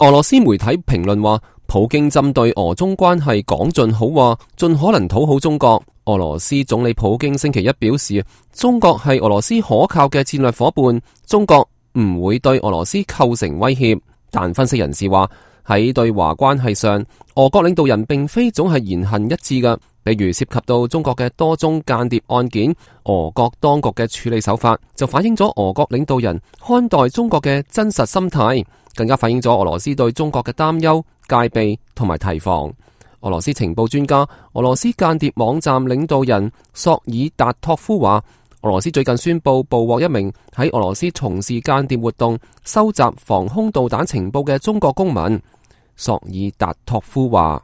俄羅斯媒體評論話，普京針對俄中關係講盡好話，盡可能討好中國。俄羅斯總理普京星期一表示，中國係俄羅斯可靠嘅戰略夥伴，中國唔會對俄羅斯構成威脅。但分析人士話，喺對華關係上，俄國領導人並非總係言行一致嘅。比如涉及到中國嘅多宗間諜案件，俄國當局嘅處理手法就反映咗俄國領導人看待中國嘅真實心態，更加反映咗俄羅斯對中國嘅擔憂、戒備同埋提防。俄羅斯情報專家、俄羅斯間諜網站領導人索爾達托夫話，俄羅斯最近宣布捕獲一名喺俄羅斯從事間諜活動、收集防空導彈情報嘅中國公民。索爾達托夫話，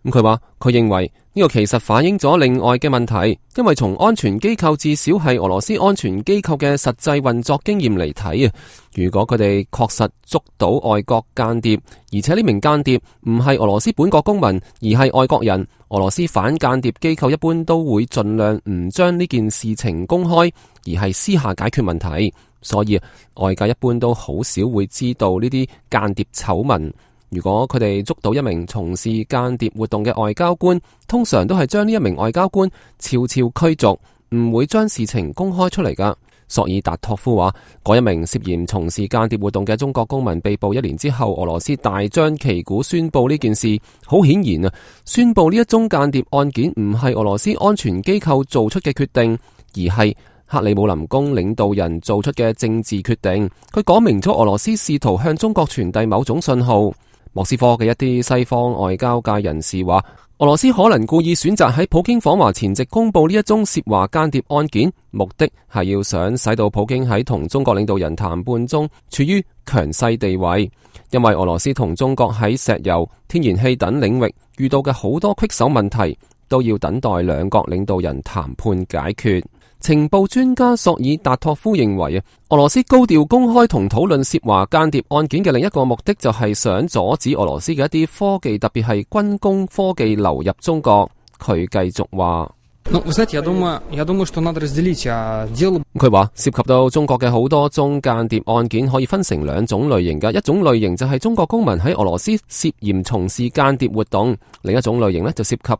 佢話佢認為呢個其實反映咗另外嘅問題，因為從安全機構至少係俄羅斯安全機構嘅實際運作經驗嚟睇啊，如果佢哋確實捉到外國間諜，而且呢名間諜唔係俄羅斯本國公民，而係外國人，俄羅斯反間諜機構一般都會盡量唔將呢件事情公開，而係私下解決問題。所以外界一般都好少會知道呢啲間諜醜聞。如果佢哋捉到一名從事間諜活動嘅外交官，通常都係將呢一名外交官悄悄驅逐，唔會將事情公開出嚟噶。索爾達托夫話，嗰一名涉嫌從事間諜活動嘅中國公民被捕1年之後，俄羅斯大張旗鼓宣布呢件事。好顯然啊，宣布呢一宗間諜案件唔係俄羅斯安全機構做出嘅決定，而係克里姆林宮領導人做出嘅政治決定。佢講明咗俄羅斯試圖向中國傳遞某種信號。莫斯科嘅一啲西方外交界人士話，俄羅斯可能故意選擇喺普京訪華前夕公布呢一宗涉華間諜案件，目的係要想使到普京喺同中國領導人談判中處於強勢地位。因為俄羅斯同中國喺石油、天然氣等領域遇到嘅好多棘手問題，都要等待兩國領導人談判解決。情報專家索爾達托夫認為，俄羅斯高調公開同討論涉華間諜案件嘅另一個目的就係想阻止俄羅斯嘅一啲科技，特別係軍工科技流入中國。佢繼續話，佢話涉及到中國嘅好多宗間諜案件可以分成兩種類型嘅，一種類型就係中國公民喺俄羅斯涉嫌從事間諜活動，另一種類型呢就涉及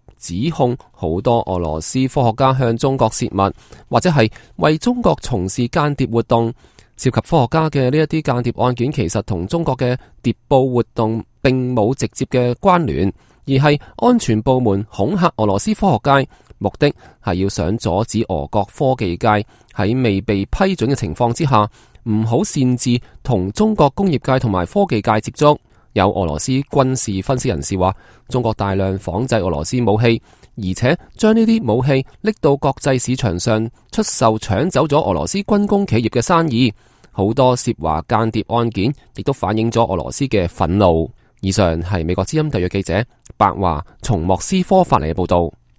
指控好多俄羅斯科學家向中國洩密，或者係為中國從事間諜活動。涉及科學家嘅呢一啲間諜案件，其實同中國嘅諜報活動並冇直接嘅關聯，而係安全部門恐嚇俄羅斯科學界，目的係要想阻止俄國科技界喺未被批准嘅情況之下，唔好擅自同中國工業界同埋科技界接觸。有俄羅斯軍事分析人士話，中國大量仿製俄羅斯武器，而且將呢啲武器拎到國際市場上出售，搶走咗俄羅斯軍工企業嘅生意。好多涉華間諜案件亦都反映咗俄羅斯嘅憤怒。以上係美國之音特約記者白華從莫斯科發嚟嘅報道。